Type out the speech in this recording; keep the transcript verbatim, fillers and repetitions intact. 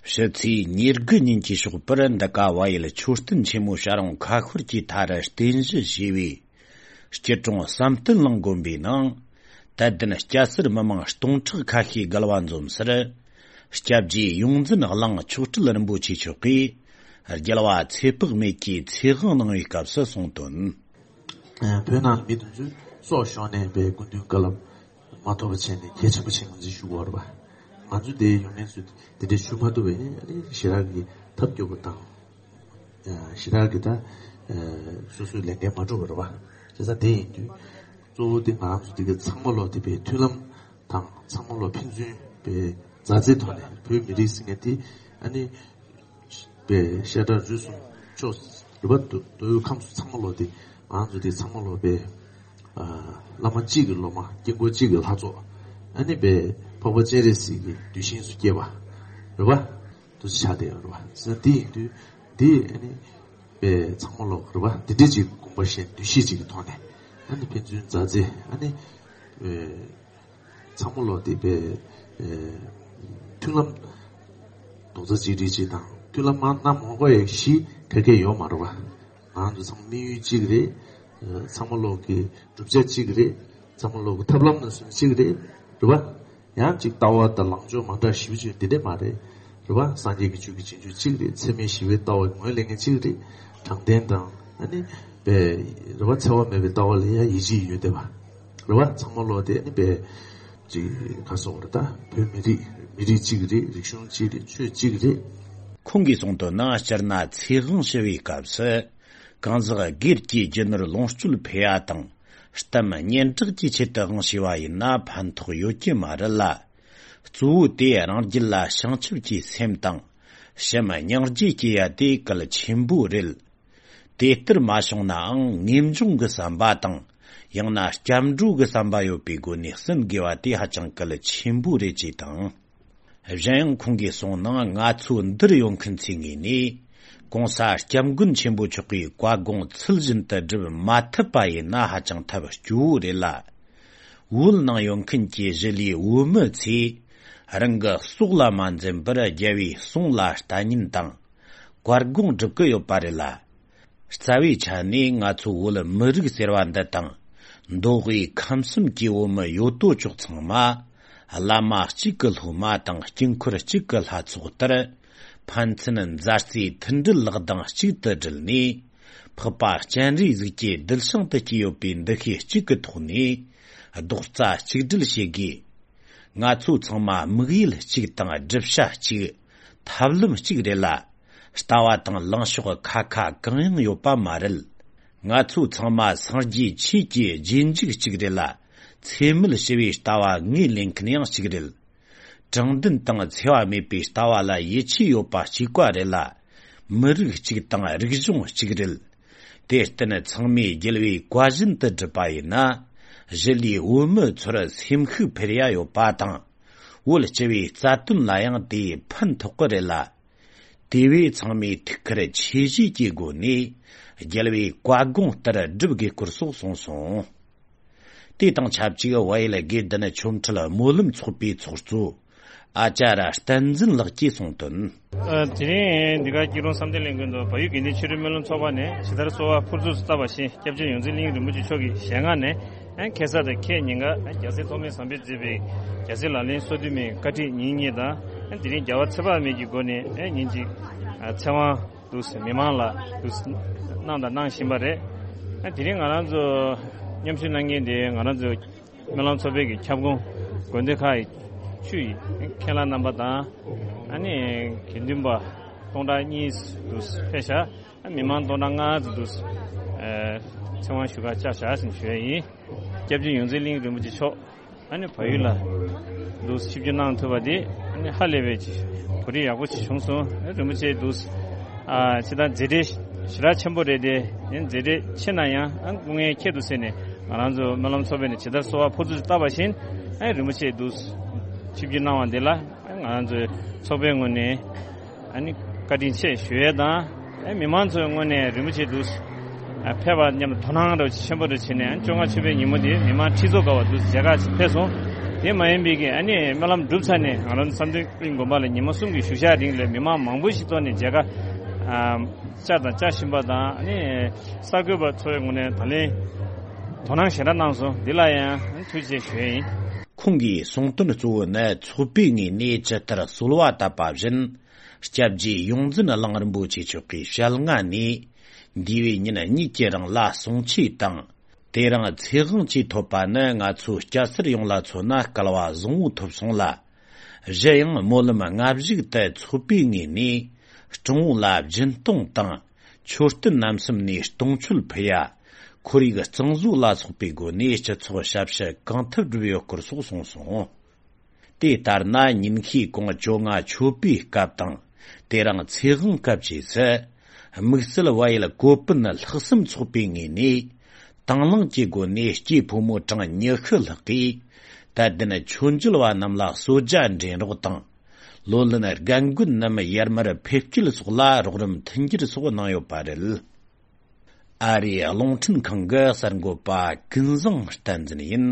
ཕྱི་ཚེས་ཉེར་དགུ་ཉིན་གྱི་ཞོགས་པར་འདི་ག་བལ་ཡུལ་མཆོད་རྟེན་ཆེན་མོ་བྱ་རུང་ཁ་ཤོར་གྱི་མཐའ་རུ་རྟེན་གཞི་བྱས་པའི་སྐྱིད་གྲོང་བསམ་གཏན་གླིང་དགོན་པའི་ནང་དད་ལྡན་སྐྱ་སེར་མི་མང་སྟོང་ཕྲག་ཁ་ཤས་བརྒལ་བ་འཛོམས་སར། སྐྱབས་རྗེ་ཡོངས་འཛིན་གླིང་མཆོག་སྤྲུལ་རིན་པོ་ཆེ་མཆོག་གིས་རྒྱལ་བ་ཚེ་དཔག་མེད་ཀྱི་ཚེ་དབང་གནང་བའི་སྐབས་སུ་གསུངས་དོན། ཨ། བོད་ནང་མི་དེ་ཚོས་སྲོག་ཤོར་ནས་པའི་སྐུ་མདུན་བཀའ་སློབ་མ་ཐོབ་པ་བྱས་ནས་གལ་ཆེན་པོ་ཆེ་ང་ཚོས་ཞུ་དགོས་རེད་པ། ང་ཚོ་དེ་ཡོང་མཁན་ཚོས་དེ་འདྲས་ཞུ་མ་ཐུབ་པ་ཡིན་ན་ཨ་ནི་ཞེ་དྲག་གི་ཐབས་སྐྱོ་པོ་དང་། ཞེ་དྲག་གི་ད་སོ་སོའི་ལས་འགན་མ་འགྲུབ་པ་རེད་པ། བྱས་ཙང་དེ་ཡིན་དུས་གཙོ་བོ་དེ་ང་རང་ཚོ་དེ་ག་ཚང་མ་ལོག་དེ་པའི་མཐུན་ལམ་དང་ཚང་མ་ལོག་ཕན་ཚུན་པའི་མཛའ་བརྩེའི་ཐོག་ནས་བོད་མི་རིགས་ཟེར་མཁན་དེ་ཨ་ནི། པའི་བཤད་གྲྭ་རུ་གསུམ་ཕྱོགས་རུ་བ་མདོ་དབུས་ཁམས་སུ་ཚང་མ་ལོག་དེ་ང་ཚོ་དེ་ཚང་མ་ལོག་པའི་ཨ་བླ་མ་གཅིག་གི་སློབ་མ་དཀྱིལ་འཁོར་གཅིག་གི་ལྷ་ཚོགས་ཨ་ནི་པའི་འཕགས་པ་སྤྱན་རས་གཟིགས་ཀྱི་གདུལ་ཞིང་སུ་སྐྱེས་པ་རུ་བ་དུ་ཆ་དེ་རུ་བ་ཟེར་དེ་ཡིན་དུས་དེ་ཨ་ནི་པའི་ཚང་མ་ལོག་རུ་བ་དེ་འདྲས་ཅིག་དགོངས་པ་བཞེས་འདུ་ཤེས་ཅིག་གི་ཐོག་ནས་ཨ་ནི་ཕན་ཚུན་མཛའ་བརྩེ་ཨ་ནི། ཚང་མ་ལོག་དེ་པའི་མཐུན་ལམ་རྡོག་རྩ་གཅིག་སྒྲིལ་གཅིག་དང་མཐུན་ལམ་མང་གནང་མ་དགོས་ཡག་གཞི་ག་གེ་ཡོད་མ་རེད་པ། ང་ཚོ་ཚང་མ་དམིགས་ཡུལ་གཅིག་རེད། ཚང་མ་ལོག་གི་བསྒྲུབ་བྱ་གཅིག་རེད། ཚང་མ་ལོག་གི་ཐབས་ལམ་ནང་སོན་གཅིག་རེད། རེད་པ། ཡང་གཅིག་ལྟ་བ་དང་ལངས་ཕྱོགས་མ་འདྲ་ཞིབ་ཅིག་འདི་འདྲས་མ་རེད། རེད་པ། སངས་རྒྱས་ཀྱི་ཆོས་ཀྱི་རྗེས་འཇུག་གཅིག་རེད། འཚེ་མེད་ཞི་བའི་ལྟ་བ་ངོས་ལེན་མཁན་གཅིག་རེད། དྲང་བདེན་དང་ཨ་ནི་པའི་རེད་པ། འཚེ་བ་མེད་པའི་ལྟ་བ་ལ་ཡང་ཡིད་ཆེས་ཡོད་བསྡད་པ། རེད་པ། ཚང་མ་ལོག་དེ་ཨ་ནི་པའི་ཅིག་ག་སོགས་རེད། ད་བོད་མི་རིགས་མི་རིགས་གཅིག་རེད། རིག་གཞུང་གཅིག་རེད། ཆོས་གཅིག་རེད། ཁོང་གིས་གསུངས་དོན་ནི་སྤྱིར་ན་ཚེ་དབང་ཞུ་བའི་སྐབས་སུ་གང་ཟག་སྒེར་གྱི་རྒྱུ་ནོར་ལོངས་སྤྱོད་འཕེལ་བ་དང་གཏམ་སྙན་གྲགས་ཀྱི་ཆེད་དུ་དབང་ཞུས་པ་ཡིན་ན་ཕན་ཐོགས་ཡོད་ཀྱི་མ་རེད་ལ། གཙོ་བོ་དེ་རང་རྒྱུད་ལ་བྱང་ཆུབ་ཀྱི་སེམས་དང་བྱམས་སྙིང་རྗེ་སྐྱེ་ཡ་དེ་གལ་ཆེན་པོ་རེད། དེ་ལྟར་མ་བྱུང་ནའང་ངེས་འབྱུང་གི་བསམ་པ་དང་ཡང་ན་སྐྱབས་འགྲོ་གི་བསམ་པ་ཡོད་པའི་སྒོ་ནས་ཟིན་དགོས་པ་དེ་ཧ་ཅང་གལ་ཆེན་པོ་རེད་ཅེས་དང་། གཞན་ཡང་ཁོང་གིས་གསུངས་ནང་ང་ཚོ་འདིར་ཡོང་མཁན་ཚོའི་ངོས་ནས་གོང་ས་སྐྱབས་མགོན་ཆེན་པོ་མཆོག་གིས་བཀའ་དགོངས་ཚུལ་བཞིན་དུ་སྒྲུབ་མ་ཐུབ་པ་ཡིན་ན་ཧ་ཅང་ཐབས་སྐྱོ་བོ་རེད་ལ། བོད་ནང་ཡོད་མཁན་གྱི་གཞིས་ལུས་བོད་མི་ཚོས་རང་གི་སྲོག་ལ་མ་འཛེམ་པར་རྒྱལ་བའི་གསུང་ལ་ལྟ་ཉན་དང་བཀའ་དགོངས་སྒྲུབ་ཀྱི་ཡོད་པ་རེད་ལ། རྩ་བའི་ཆ་ནས་ང་ཚོ་བོད་མི་རིགས་ཟེར་བ་འདི་དང་མདོ་དབུས་ཁམས་གསུམ་གྱི་བོད་མི་ཡོད་དོ་ཅོག་ཚང་མ་བླ་མ་གཅིག་གི་སློབ་མ་དང་དཀྱིལ་འཁོར་གཅིག་གི་ལྷ་ཚོགས་ལྟར་ཕན་ཚུན་མཛའ་བརྩེའི་མཐུན་སྒྲིལ་ལག་གདང་གཅིག་ཏུ་སྒྲིལ་ནས་འཕགས་པ་སྤྱན་རས་གཟིགས་ཀྱི་གདུལ་ཞིང་དུ་སྐྱེས་ཡོད་པའི་འདུ་ཤེས་གཅིག་གི་ཐོག་ནས་རྡོག་རྩ་གཅིག་སྒྲིལ་བྱེད་དགོས། ང་ཚོ་ཚང་མ་དམིགས་ཡུལ་གཅིག་དང་སྒྲུབ་བྱ་གཅིག་ཐབས་ལམ་གཅིག་རེད་ལ། ལྟ་བ་དང་ལངས་ཕྱོགས་ཁ་ཁ་གང་ཡང་ཡོད་པ་མ་རེད། ང་ཚོ་ཚང་མ་སངས་རྒྱས་ཆོས་ཀྱི་རྗེས་འཇུག་གཅིག་རེད་ལ། ཚད་མེད་ཞི་བའི་ལྟ་བ་ངོས་ལེན་མཁན་ཡང་གཅིག་རེད། དྲང་བདེན་དང་འཚེ་བ་མེད་པའི་ལྟ་བ་ལ་ཡིད་ཆེས་ཡོད་པ་གཅིག་པ་རེད་ལ། མི་རིགས་གཅིག་དང་རིག་གཞུང་གཅིག་རེད། དེར་བརྟེན་ཚང་མས་རྒྱལ་བའི་བཀའ་བཞིན་དུ་བསྒྲུབས་པ་ཡིན་ན། གཞིས་ལུས་བོད་མི་ཚོར་སེམས་ཤུགས་འཕེལ་ཡ་ཡོད་པ་དང་། བོད་སྤྱི་བའི་རྩ་དོན་ལ་ཡང་དེས་ཕན་ཐོགས་ཀྱི་རེད་ལ། དེ་བས་ཚང་མས་ཐུགས་ཁུར་ཆེ་བཞེས་ཀྱི་སྒོ་ནས་རྒྱལ་བའི་བཀའ་དགོངས་ལྟར་བསྒྲུབ་དགོས་སྐོར་སོགས་གསུངས་སོང་། དེ་དང་ཆབས་ཅིག་བལ་ཡུལ་དགེ་ལྡན་ཆོ་འཕྲུལ་སྨོན་ལམ་ཚོགས་པའི་ཚོགས་གཙོ་ཨ་ཅཱ་ར་བསྟན་འཛིན་ལགས་ཀྱིས་གསུངས་དོན། ཨ། དེ་རིང་འདི་ག་སྐྱིད་གྲོང་བསམ་གཏན་གླིང་དགོན་དུ་བལ་ཡུལ་དགེ་ལྡན་ཆོས་འཕྲུལ་སྨོན་ལམ་ཚོགས་པ་ནས་ཇི་ལྟར་གསོལ་བ་ཕུར་ཚུགས་སུ་བཏབ་པ་བཞིན་སྐྱབས་རྗེ་ཡོངས་འཛིན་གླིང་རིན་པོ་ཆེ་མཆོག་གི་ཞལ་སྔ་ནས་ཨ་ཁ་སང་དང་ཁ་ཉིན་ཀ་ཨ་རྒྱལ་སྲས་ཐོགས་མེད་བཟང་པོས་མཛད་པའི་རྒྱལ་སྲས་ལག་ལེན་སོ་བདུན་མའི་བཀའ་ཁྲིད་ཉིན་གཉིས་དང་ཨ་དེ་རིང་རྒྱལ་བ་ཚེ་དཔག་མེད་ཀྱི་སྒོ་ནས་ཨ་ཉིན་གཅིག་ཨ་ཚེ་དབང་དུ་མི་མང་ལ་དུ་གནང་དང་གནང་བཞིན་པ་རེད། ཨ་དེ་རིང་ང་རང་ཚོ་མཉམ་ཞུགས་གནང་མཁན་དེ་ང་རང་ཚོ་སྨོན་ལམ་ཚོགས་པའི་གི་ཁྱབ་ཁོངས་དགོན་སྡེ་ཁག་གི་ཆུ་ཡི་མཁན་བླ་རྣམ་པ་དང་ཨ་ནི་དགེ་འདུན་པ་སྟོང་ཕྲག་གཉིས་འདུ་ཕེབས་ཤག་ཨ་མི་མང་སྟོང་ཕྲག་ལྔ་ཙམ་འདུ་ཚེ་དབང་ཞུ་གར་བཅར་བཞག་ཟེར་ཞུ་ཡ་ཡིན། སྐྱབས་རྗེ་ཡོངས་འཛིན་གླིང་རིན་པོ་ཆེ་མཆོག་ཨ་ནི་བལ་ཡུལ་ལ་འདུག་ཆིབས་བསྒྱུར་གནང་ཐུབ་པ་དེ་ཨ་ནི་ཧ་ལས་པའི་གོ་སྒྲིག་ཡག་པོ་ཞིག་བྱུང་སོང་། ཨ་རིན་པོ་ཆེ་འདུག་ཨ་ཅི་ལྟར་མཛད་བྲེལ་ཞེ་དྲག་ཆེན་པོ་རེད་དེ་ཨ་ནི་མཛད་བྲེལ་ཆེ་ན་ཡང་ཨ་སྐུ་ངལ་ཁྱད་དུ་བསད་ནས་ང་རང་ཚོ་སྨོན་ལམ་ཚོགས་པས་ནས་ཇི་ལྟར་གསོལ་བ་ཕུར་ཚུགས་བཏབ་པ་བཞིན་ཨ་རིན་པོ་ཆེ་འདུག་ཆིབས་བསྒྱུར་གནང་བ་འདི་ལ་ང་རང་ཚོའི་ཚོགས་པའི་ངོས་ནས། ཨ་ནི་བཀའ་དྲིན་ཆེ་ཞུ་ཡས་དང་། ཨ་མི་མང་ཚོའི་ངོས་ནས་རིན་པོ་ཆེ་འདུག་ཨ་ཕེབས་པ་མཉམ་དུ་དོ་སྣང་རོགས་ཆེན་པོ་རུ་བྱས་ནས་ཨ་བཅོ་ལྔ་མཆོད་པའི་ཉིན་མོ་དེ་མི་མང་ཁྲི་ཚོ་འགའ་བ་འདུག་མཇལ་ཁ་ཕེབས་སོང་། དེ་མ་ཡིན་པའི་གི་ཨ་ནི་སྨོན་ལམ་གྲུབ་ཚར་ནས་ང་རང་བསམ་གཏན་གླིང་དགོན་པ་ལ་ཉི་མ་གསུམ་གྱི་བཞུགས་ཞག་རིང་ལ་མི་མང་མང་པོ་ཞིག་ཐོག་ནས་མཇལ་ཁ་ཨ་བཅར་དང་བཅར་བཞིན་པ་དང་ཨ་ནི་གསར་འགོད་པ་ཚོའི་ངོས་ནས་ད་ལན་དོ་སྣང་ཞེ་དྲག་གནང་སོང་། འདི་ལ་ཡང་ཐུགས་རྗེ་ཆེ་ཞུ་ཡ་ཡིན། ཁོང་གིས་གསུངས་དོན་གཙོ་བོ་ནི་ཚོགས་པའི་ངོས་ནས་ཇི་ལྟར་གསོལ་བ་བཏབ་པ་བཞིན། སྐྱབས་རྗེ་ཡོངས་འཛིན་གླིང་རིན་པོ་ཆེ་མཆོག་གི་ཞལ་སྔ་ནས། འདས་པའི་ཉིན་གཉིས་ཀྱི་རིང་ལ་གསུང་ཆོས་དང་། དེ་རིང་ཚེ་དབང་ཆེས་ཐོབ་པ་ནི་ང་ཚོ་སྐྱ་སེར་ཡོངས་ལ་མཚོན་ན་སྐལ་བ་བཟང་བོ་ཐོབ་སོང་ལ། གཞན་ཡང་སྨོན་ལམ་སྔ་གཞུག་ཏུ་ཚོགས་པའི་ངོས་ནས་སྤྲང་བོ་ལ་སྦྱིན་གཏོང་དང་། མཆོད་རྟེན་རྣམ་གསུམ་ནས་གཏོང་མཆོད་ཕུལ་ཡ། ཁོར་ཡུག་གཙང་བཟོ་ལ་སོགས་པའི་སྒོ་ནས་སྤྱི་ཚོགས་ཞབས་ཞུ་གང་ཐུབ་བསྒྲུབས་ཡོད་སྐོར་སོགས་གསུངས་སོང་། དེ་ལྟར་ན་ཉིན་ཤས་གོང་བཅོ་ལྔ་མཆོད་པའི་སྐབས་དང་། དེ་རིང་ཚེ་དབང་སྐབས་བཅས་སུ། དམིགས་བསལ་བལ་ཡུལ་ཀོ་པིན་ལྷག་བསམ་ཚོགས་པའི་ངོས་ནས། དང་བླངས་ཀྱི་སྒོ་ནས་སྐྱེས་ཕོ་མོ་གྲངས་ཉི་ཤུ་ལྷག་གིས། དད་ལྡན་མཆོད་མཇལ་བ་རྣམས་ལ་གསོལ་ཇ་འདྲེན་རོགས་དང་། ལོ་ལོན་རྒན་རྒོན་རྣམས་ཡར་མར་ཕེབས་སྐྱེལ་སོགས་ལ་རོགས་རམ་མཐུན་འགྱུར་སོགས་གནང་ཡོད་པ་རེད། ཨ་རིའི་རླུང་འཕྲིན་ཁང་གི་གསར་འགོད་པ་ཀུན་བཟང་བསྟན་འཛིན་ཡིན།